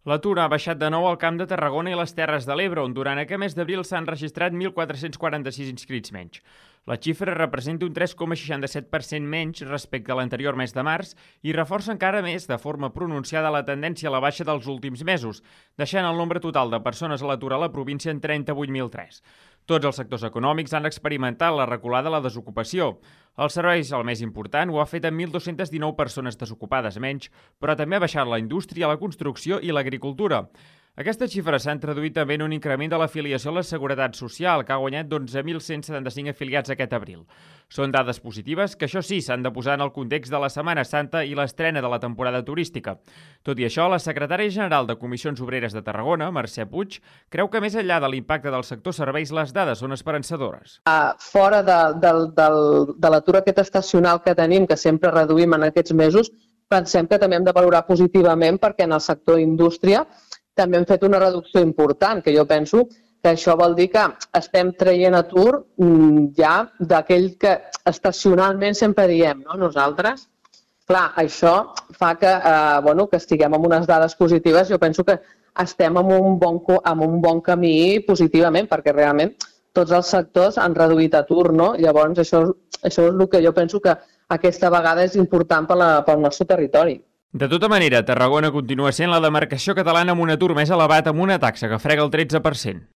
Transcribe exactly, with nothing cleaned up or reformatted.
L'atur ha baixat de nou al Camp de Tarragona i les Terres de l'Ebre, on durant aquest mes d'abril s'han registrat mil quatre-cents quaranta-sis inscrits menys. La xifra representa un tres coma seixanta-set per cent menys respecte a l'anterior mes de març i reforça encara més de forma pronunciada la tendència a la baixa dels últims mesos, deixant el nombre total de persones a l'atur a la província en trenta-vuit mil tres. Tots els sectors econòmics han experimentat la reculada de la desocupació. Els serveis, el més important, ho ha fet amb mil dos-cents dinou persones desocupades menys, però també ha baixat la indústria, la construcció i l'agricultura. Aquestes xifres s'han traduït també en un increment de l'afiliació a la Seguretat Social, que ha guanyat dotze mil cent setanta-cinc afiliats aquest abril. Són dades positives que, això sí, s'han de posar en el context de la Setmana Santa i l'estrena de la temporada turística. Tot i això, la secretària general de Comissions Obreres de Tarragona, Mercè Puig, creu que més enllà de l'impacte del sector serveis, les dades són esperançadores. Uh, fora de, de, de, de l'atur aquest estacional que tenim, que sempre reduïm en aquests mesos, pensem que també hem de valorar positivament perquè en el sector indústria també hem fet una reducció important, que jo penso que això vol dir que estem traient atur ja d'aquell que estacionalment sempre diem, no? Nosaltres. Clar, això fa que, eh, bueno, que estiguem amb unes dades positives. Jo penso que estem en un bon, en un bon camí positivament, perquè realment tots els sectors han reduït atur, no? Llavors, això, això és el que jo penso que aquesta vegada és important per la, pel nostre territori. De tota manera, Tarragona continua sent la demarcació catalana amb un atur més elevat, amb una taxa que frega el tretze per cent.